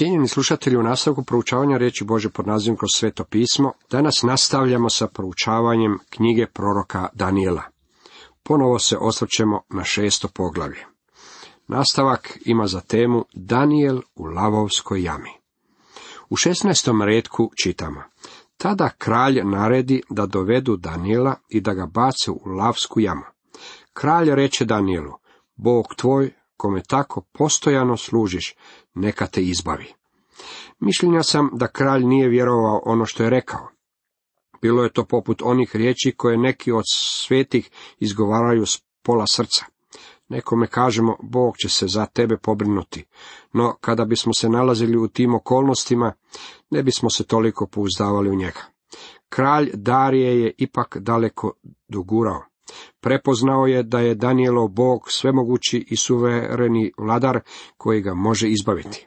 Cijenjeni slušatelji, u nastavku proučavanja riječi Božje pod nazivom Kroz sveto pismo, danas nastavljamo sa proučavanjem knjige proroka Danijela. Ponovo se osvrćemo na 6. poglavlje. Nastavak ima za temu Danijel u lavovskoj jami. U 16. retku čitamo: Tada kralj naredi da dovedu Danijela i da ga bace u lavsku jamu. Kralj reče Danijelu: Bog tvoj, kome tako postojano služiš, neka te izbavi. Mišljenja sam da kralj nije vjerovao ono što je rekao. Bilo je to poput onih riječi koje neki od svetih izgovaraju s pola srca. Nekome kažemo, Bog će se za tebe pobrinuti, no kada bismo se nalazili u tim okolnostima, ne bismo se toliko pouzdavali u njega. Kralj Darije je ipak daleko dogurao. Prepoznao je da je Danijelov Bog svemogući i suvereni vladar koji ga može izbaviti.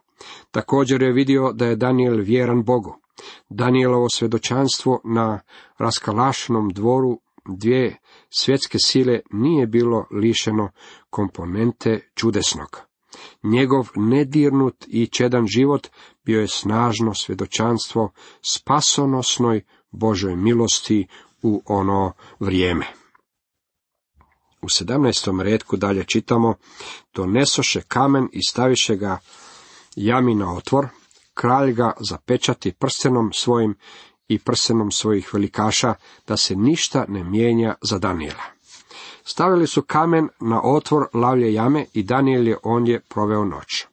Također je vidio da je Danijel vjeran Bogu. Danijelovo svjedočanstvo na raskalašenom dvoru dvije svjetske sile nije bilo lišeno komponente čudesnog. Njegov nedirnut i čedan život bio je snažno svjedočanstvo spasonosnoj Božoj milosti u ono vrijeme. U 17. retku dalje čitamo: Donesoše kamen i staviše ga jami na otvor, kralj ga zapečati prstenom svojim i prstenom svojih velikaša, da se ništa ne mijenja za Danijela. Stavili su kamen na otvor lavlje jame i Danijel je ondje proveo noć.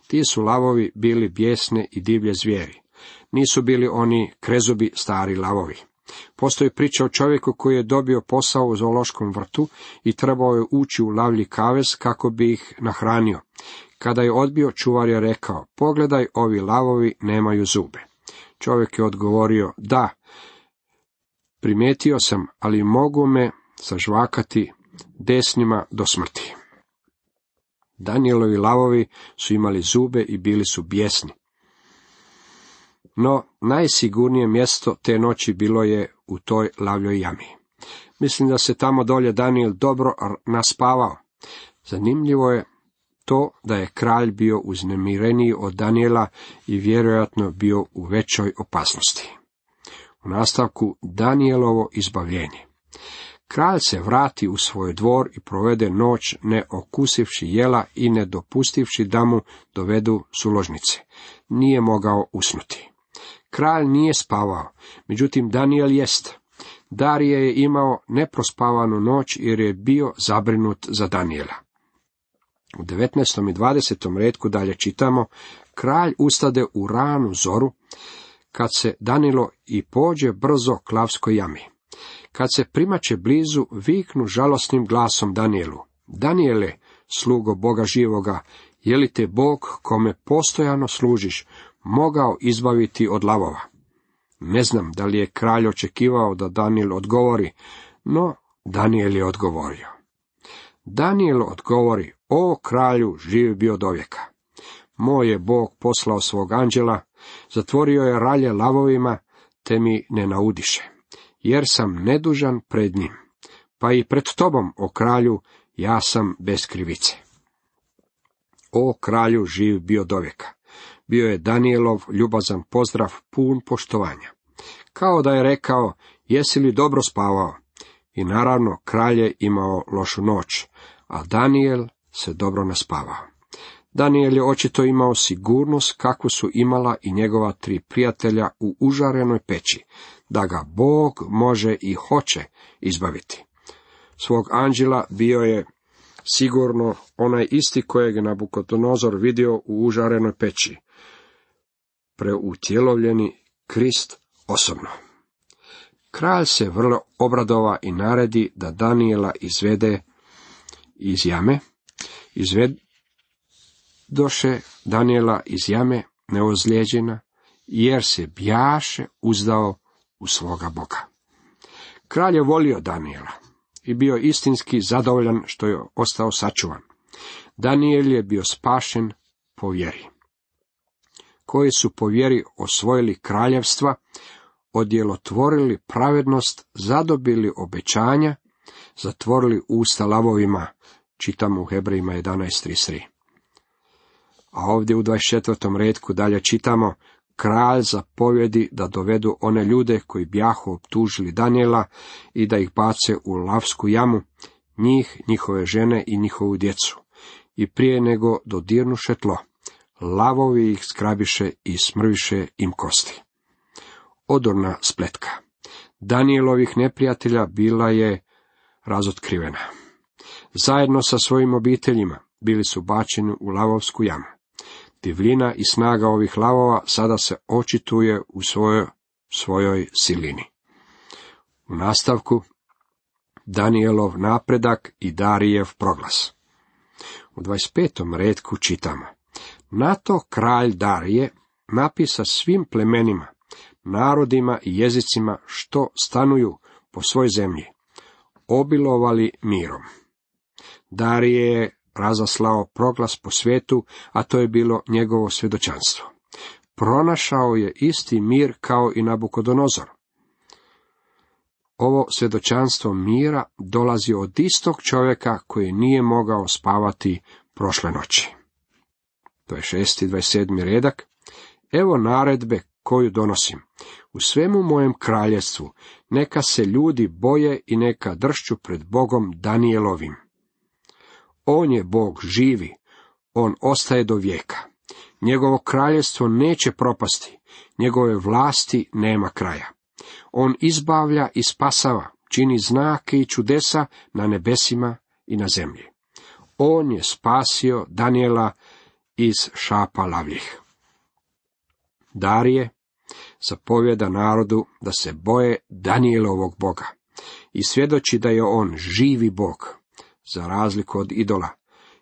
Ti su lavovi bili bijesne i divlje zvijeri. Nisu bili oni krezubi stari lavovi. Postoji priča o čovjeku koji je dobio posao u zoološkom vrtu i trebao je ući u lavlji kavez kako bi ih nahranio. Kada je odbio, čuvar je rekao: Pogledaj, ovi lavovi nemaju zube. Čovjek je odgovorio: Da, primijetio sam, ali mogu me sažvakati desnima do smrti. Danijelovi lavovi su imali zube i bili su bijesni. No, najsigurnije mjesto te noći bilo je u toj lavljoj jami. Mislim da se tamo dolje Danijel dobro naspavao. Zanimljivo je to da je kralj bio uznemireniji od Danijela i vjerojatno bio u većoj opasnosti. U nastavku Danijelovo izbavljenje. Kralj se vrati u svoj dvor i provede noć ne okusivši jela i ne dopustivši da mu dovedu suložnice. Nije mogao usnuti. Kralj nije spavao, međutim Danijel jest. Darije je imao neprospavanu noć jer je bio zabrinut za Danijela. U 19. i 20. retku dalje čitamo: Kralj ustade u ranu zoru, kad se danilo i pođe brzo k lavskoj jami. Kad se primače blizu, viknu žalosnim glasom Danijelu: Danijele, slugo Boga živoga, je li te Bog, kome postojano služiš, mogao izbaviti od lavova? Ne znam da li je kralj očekivao da Danijel odgovori, no Danijel je odgovorio. Danijel odgovori: O kralju, živ bio dovijeka. Moj je Bog poslao svog anđela, zatvorio je ralje lavovima, te mi ne naudiše, jer sam nedužan pred njim. Pa i pred tobom, o kralju, ja sam bez krivice. O kralju, živ bio dovijeka. Bio je Danijelov ljubazan pozdrav pun poštovanja. Kao da je rekao: Jesi li dobro spavao? I naravno, kralj je imao lošu noć, a Danijel se dobro naspavao. Danijel je očito imao sigurnost kakvu su imala i njegova 3 prijatelja u užarenoj peći, da ga Bog može i hoće izbaviti. Svog anđela bio je sigurno onaj isti kojeg je Nabukodonozor vidio u užarenoj peći, preutjelovljeni Krist osobno. Kralj se vrlo obradova i naredi da Danijela izvede iz jame. Izvedoše Danijela iz jame neozlijeđena, jer se bjaše uzdao u svoga Boga. Kralj je volio Danijela i bio istinski zadovoljan što je ostao sačuvan. Danijel je bio spašen po vjeri. Koji su po vjeri osvojili kraljevstva, odjelotvorili pravednost, zadobili obećanja, zatvorili usta lavovima, čitamo u Hebrejima 11:33. A ovdje u 24. retku dalje čitamo: kralj zapovjedi da dovedu one ljude koji bjahu optužili Danijela i da ih bace u lavsku jamu, njih, njihove žene i njihovu djecu. I prije nego dodirnuše tlo, lavovi ih zgrabiše i smrviše im kosti. Odorna spletka Danijelovih neprijatelja bila je razotkrivena. Zajedno sa svojim obiteljima bili su bačeni u lavovsku jamu. Divljina i snaga ovih lavova sada se očituje u svojoj silini. U nastavku Danijelov napredak i Darijev proglas. U 25. retku čitamo: na to kralj Darije napisa svim plemenima, narodima i jezicima što stanuju po svoj zemlji, obilovali mirom. Darije je razaslao proglas po svijetu, a to je bilo njegovo svjedočanstvo. Pronašao je isti mir kao i Nabukodonozor. Ovo svjedočanstvo mira dolazi od istog čovjeka koji nije mogao spavati prošle noći. To je 6. 27. redak. Evo naredbe koju donosim. U svemu mojem kraljevstvu neka se ljudi boje i neka dršću pred Bogom Danielovim. On je Bog živi, on ostaje do vijeka. Njegovo kraljevstvo neće propasti, njegove vlasti nema kraja. On izbavlja i spasava, čini znake i čudesa na nebesima i na zemlji. On je spasio Danijela iz šapa lavljih. Darije zapovjeda narodu da se boje Danijelovog Boga i svjedoči da je on živi Bog, za razliku od idola,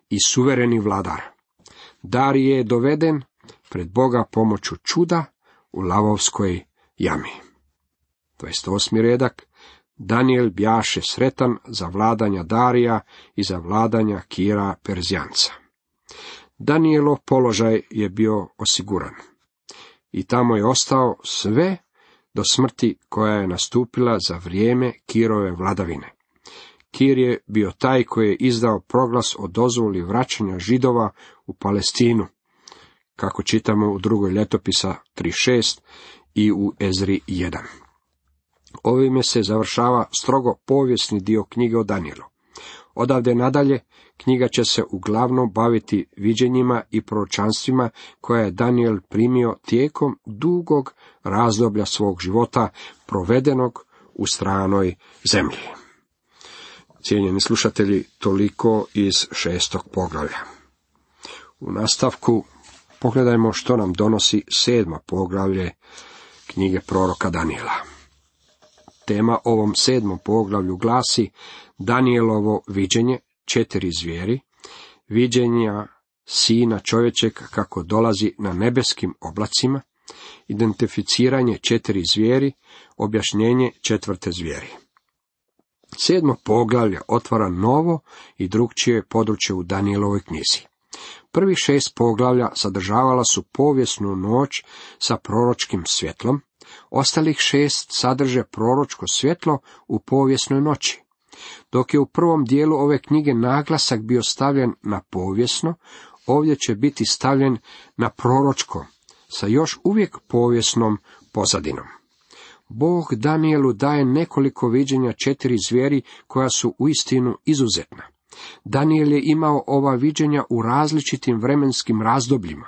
i suvereni vladar. Darije je doveden pred Boga pomoću čuda u lavovskoj jami. 28. redak. Danijel bjaše sretan za vladanja Darija i za vladanja Kira Perzijanca. Danijelov položaj je bio osiguran i tamo je ostao sve do smrti koja je nastupila za vrijeme Kirove vladavine. Kir je bio taj koji je izdao proglas o dozvoli vraćanja Židova u Palestinu, kako čitamo u 2. ljetopisa 3.6 i u Ezri 1. Ovime se završava strogo povijesni dio knjige o Danijelu. Odavde nadalje knjiga će se uglavnom baviti viđenjima i proročanstvima koje je Danijel primio tijekom dugog razdoblja svog života provedenog u stranoj zemlji. Cijenjeni slušatelji, toliko iz 6. poglavlja. U nastavku pogledajmo što nam donosi 7. poglavlje knjige proroka Danijela. Tema ovom 7. poglavlju glasi Danijelovo viđenje 4 zvijeri, viđenja sina čovječeg kako dolazi na nebeskim oblacima, identificiranje 4 zvijeri, objašnjenje 4. zvijeri. 7. poglavlje otvara novo i drukčije područje u Danijelovoj knjizi. Prvih 6 poglavlja sadržavala su povijesnu noć sa proročkim svjetlom, ostalih 6 sadrže proročko svjetlo u povijesnoj noći. Dok je u prvom dijelu ove knjige naglasak bio stavljen na povijesno, ovdje će biti stavljen na proročko, sa još uvijek povijesnom pozadinom. Bog Danijelu daje nekoliko viđenja 4 zvijeri koja su uistinu izuzetna. Danijel je imao ova viđenja u različitim vremenskim razdobljima.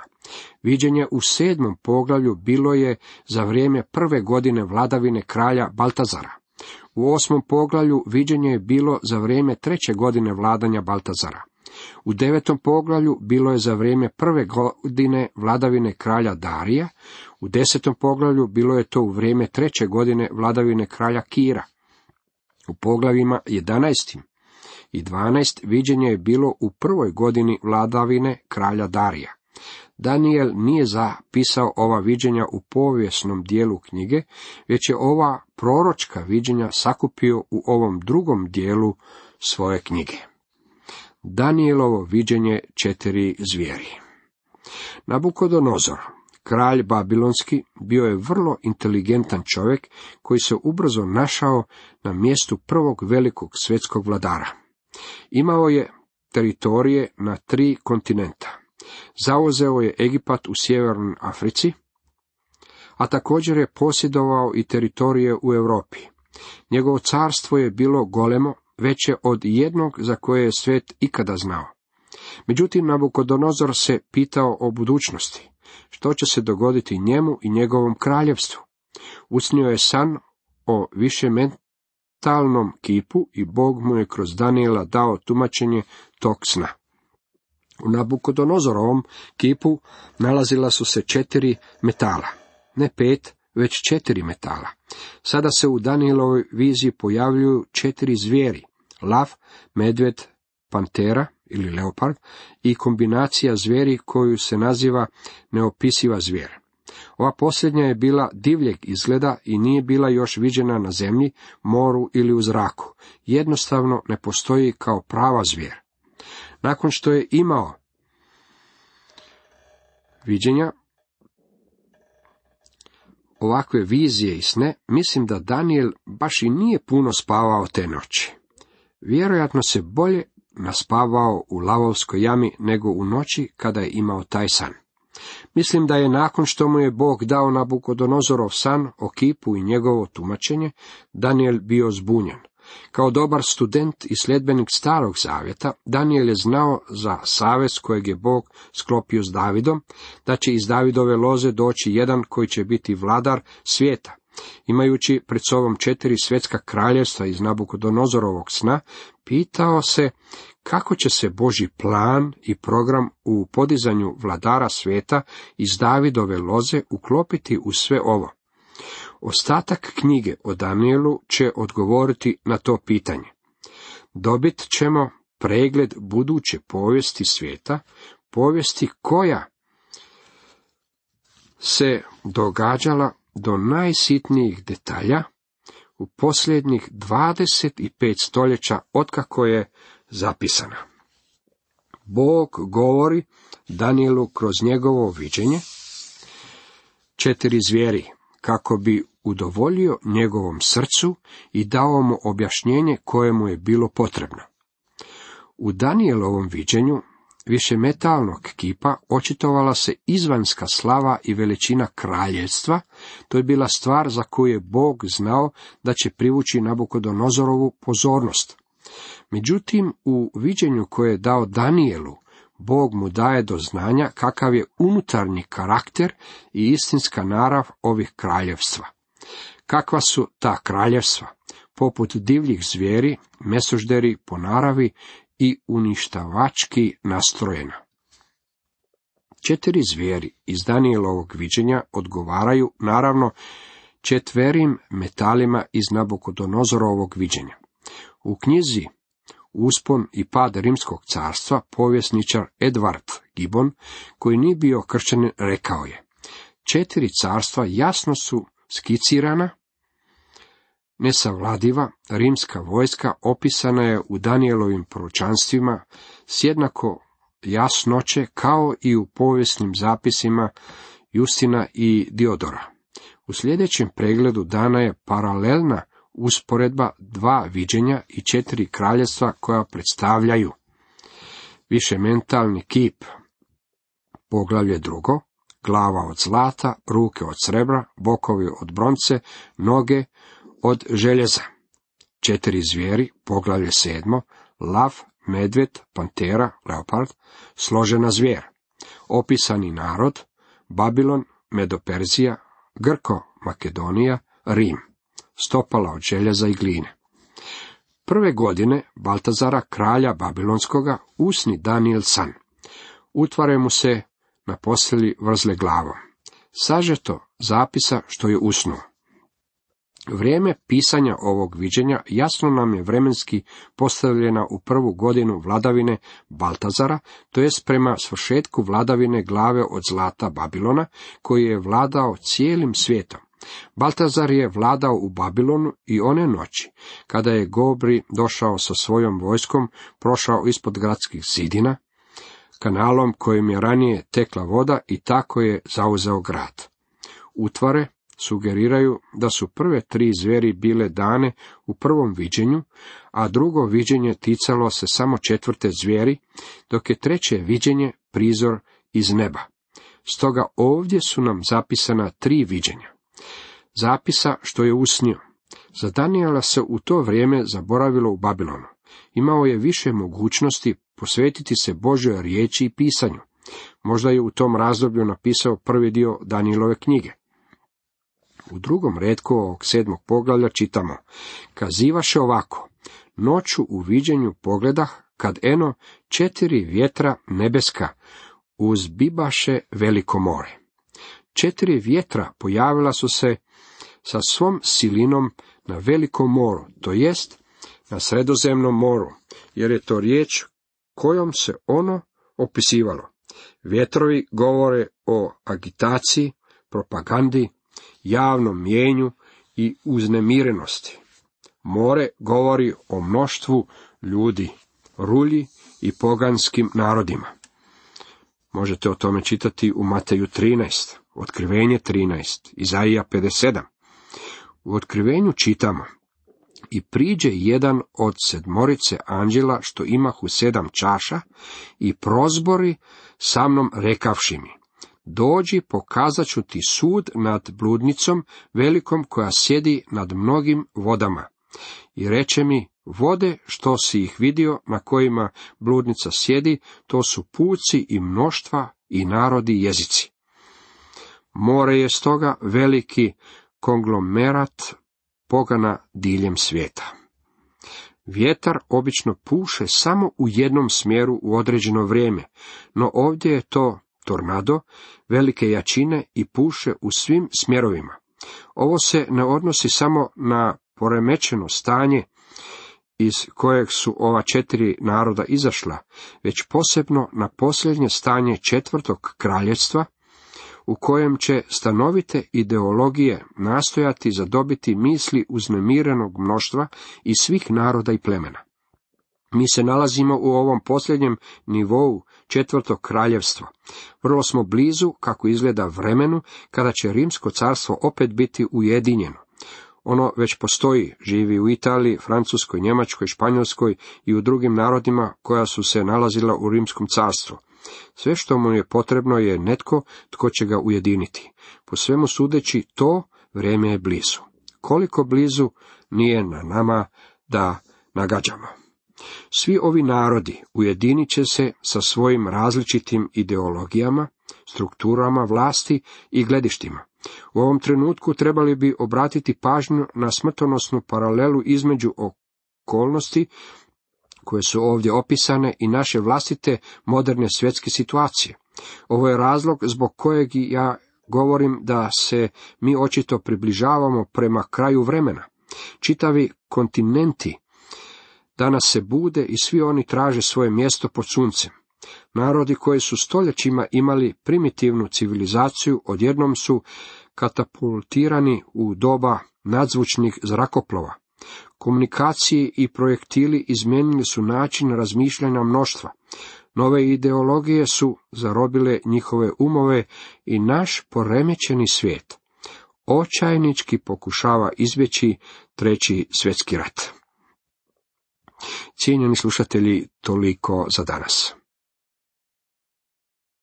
Viđenje u 7. poglavlju bilo je za vrijeme prve godine vladavine kralja Baltazara. U 8. poglavlju viđenje je bilo za vrijeme 3. godine vladanja Baltazara. U 9. poglavlju bilo je za vrijeme prve godine vladavine kralja Darija. U 10. poglavlju bilo je to u vrijeme 3. godine vladavine kralja Kira. U poglavljima 11. i 12. viđenje je bilo u prvoj godini vladavine kralja Darija. Danijel nije zapisao ova viđenja u povijesnom dijelu knjige, već je ova proročka viđenja sakupio u ovom drugom dijelu svoje knjige. Danijelovo viđenje 4 zvijeri. Nabukodonozor, kralj babilonski, bio je vrlo inteligentan čovjek koji se ubrzo našao na mjestu prvog velikog svjetskog vladara. Imao je teritorije na 3 kontinenta. Zauzeo je Egipat u sjevernoj Africi, a također je posjedovao i teritorije u Europi. Njegovo carstvo je bilo golemo, veće od jednog za koje je svijet ikada znao. Međutim, Nabukodonozor se pitao o budućnosti. Što će se dogoditi njemu i njegovom kraljevstvu? Usnio je san o višemetalnom kipu i Bog mu je kroz Danijela dao tumačenje tog sna. U Nabukodonozorovom kipu nalazila su se 4 metala. Ne 5, već 4 metala. Sada se u Danijelovoj viziji pojavljuju 4 zvijeri. Lav, medved, pantera ili leopard i kombinacija zvijeri koju se naziva neopisiva zvijer. Ova posljednja je bila divljeg izgleda i nije bila još viđena na zemlji, moru ili u zraku. Jednostavno ne postoji kao prava zvijer. Nakon što je imao viđenja, ovakve vizije i sne, mislim da Danijel baš i nije puno spavao te noći. Vjerojatno se bolje naspavao u lavovskoj jami nego u noći kada je imao taj san. Mislim da je nakon što mu je Bog dao Nabukodonozorov san o kipu i njegovo tumačenje, Danijel bio zbunjen. Kao dobar student i sljedbenik Starog zavjeta, Danijel je znao za savez kojeg je Bog sklopio s Davidom, da će iz Davidove loze doći jedan koji će biti vladar svijeta. Imajući pred sobom 4 svjetska kraljevstva iz Nabukodonozorovog sna, pitao se kako će se Božji plan i program u podizanju vladara svijeta iz Davidove loze uklopiti u sve ovo. Ostatak knjige o Danijelu će odgovoriti na to pitanje. Dobit ćemo pregled buduće povijesti svijeta, povijesti koja se događala do najsitnijih detalja u posljednjih 25 stoljeća otkako je zapisana. Bog govori Danijelu kroz njegovo viđenje 4 zvijeri, kako bi udovoljio njegovom srcu i dao mu objašnjenje koje mu je bilo potrebno. U Danijelovom viđenju višemetalnog kipa očitovala se izvanjska slava i veličina kraljevstva. To je bila stvar za koju je Bog znao da će privući Nabukodonozorovu pozornost. Međutim, u viđenju koje je dao Danijelu, Bog mu daje do znanja kakav je unutarnji karakter i istinska narav ovih kraljevstva. Kakva su ta kraljevstva? Poput divljih zvijeri, mesožderi po naravi i uništavački nastrojena. 4 zvijeri iz Danijelovog viđenja odgovaraju, naravno, 4 metalima iz Nabukodonozorovog viđenja. U knjizi Uspon i pad Rimskog carstva povjesničar Edward Gibbon, koji nije bio kršćanin, rekao je: 4 carstva jasno su skicirana, nesavladiva rimska vojska opisana je u Danijelovim proročanstvima s jednako jasnoće kao i u povijesnim zapisima Justina i Diodora. U sljedećem pregledu dana je paralelna usporedba 2 viđenja i 4 kraljevstva koja predstavljaju višementalni kip, poglavlje 2, glava od zlata, ruke od srebra, bokovi od bronce, noge od željeza. 4 zvijeri, poglavlje 7, lav, medved, pantera, leopard, složena zvijer. Opisani narod, Babilon, Medoperzija, Grko, Makedonija, Rim. Stopala od željeza i gline. Prve godine Baltazara, kralja Babilonskoga, usni Danijel san. Utvare mu se na postelji vrzle glavom. Sažeto zapisa što je usnuo. Vrijeme pisanja ovog viđenja jasno nam je vremenski postavljena u prvu godinu vladavine Baltazara, to jest prema svršetku vladavine glave od zlata Babilona, koji je vladao cijelim svijetom. Baltazar je vladao u Babilonu i one noći, kada je Gobri došao sa svojom vojskom, prošao ispod gradskih zidina, kanalom kojim je ranije tekla voda i tako je zauzeo grad. Utvare sugeriraju da su prve 3 zvijeri bile dane u prvom viđenju, a drugo viđenje ticalo se samo 4. zvijeri, dok je 3. viđenje prizor iz neba. Stoga ovdje su nam zapisana 3 viđenja. Zapisa što je usnio. Za Danijela se u to vrijeme zaboravilo u Babilonu. Imao je više mogućnosti posvetiti se Božjoj riječi i pisanju. Možda je u tom razdoblju napisao prvi dio Danijelove knjige. U 2. retku ovog 7. poglavlja čitamo: kazivaše ovako, noću u viđenju pogledah, kad eno 4 vjetra nebeska uzbibaše veliko more. 4 vjetra pojavila su se sa svom silinom na velikom moru, to jest na Sredozemnom moru, jer je to riječ kojom se ono opisivalo. Vjetrovi govore o agitaciji, propagandi, javnom mjenju i uznemirenosti. More govori o mnoštvu ljudi, rulji i poganskim narodima. Možete o tome čitati u Mateju 13, Otkrivenje 13, Izaija 57. U Otkrivenju čitamo: i priđe jedan od 7 anđela što imahu 7 čaša i prozbori sa mnom rekavši mi: dođi, pokazat ću ti sud nad bludnicom velikom koja sjedi nad mnogim vodama. I reče mi: vode što si ih vidio na kojima bludnica sjedi, to su puci i mnoštva i narodi i jezici. More je stoga veliki konglomerat pogana diljem svijeta. Vjetar obično puše samo u jednom smjeru u određeno vrijeme, no ovdje je to tornado velike jačine i puše u svim smjerovima. Ovo se ne odnosi samo na poremećeno stanje iz kojeg su ova 4 naroda izašla, već posebno na posljednje stanje 4. kraljevstva, u kojem će stanovite ideologije nastojati zadobiti misli uznemirenog mnoštva i svih naroda i plemena. Mi se nalazimo u ovom posljednjem nivou 4. kraljevstva. Vrlo smo blizu, kako izgleda, vremenu kada će Rimsko carstvo opet biti ujedinjeno. Ono već postoji, živi u Italiji, Francuskoj, Njemačkoj, Španjolskoj i u drugim narodima koja su se nalazila u Rimskom carstvu. Sve što mu je potrebno je netko tko će ga ujediniti. Po svemu sudeći, to vrijeme je blizu. Koliko blizu, nije na nama da nagađamo. Svi ovi narodi ujedinit će se sa svojim različitim ideologijama, strukturama vlasti i gledištima. U ovom trenutku trebali bi obratiti pažnju na smrtonosnu paralelu između okolnosti koje su ovdje opisane i naše vlastite moderne svjetske situacije. Ovo je razlog zbog kojeg ja govorim da se mi očito približavamo prema kraju vremena. Čitavi kontinenti danas se bude i svi oni traže svoje mjesto pod suncem. Narodi koji su stoljećima imali primitivnu civilizaciju odjednom su katapultirani u doba nadzvučnih zrakoplova. Komunikaciji i projektili izmijenili su način razmišljanja mnoštva. Nove ideologije su zarobile njihove umove i naš poremećeni svijet očajnički pokušava izbjeći 3. svjetski rat. Cijenjeni slušatelji, toliko za danas.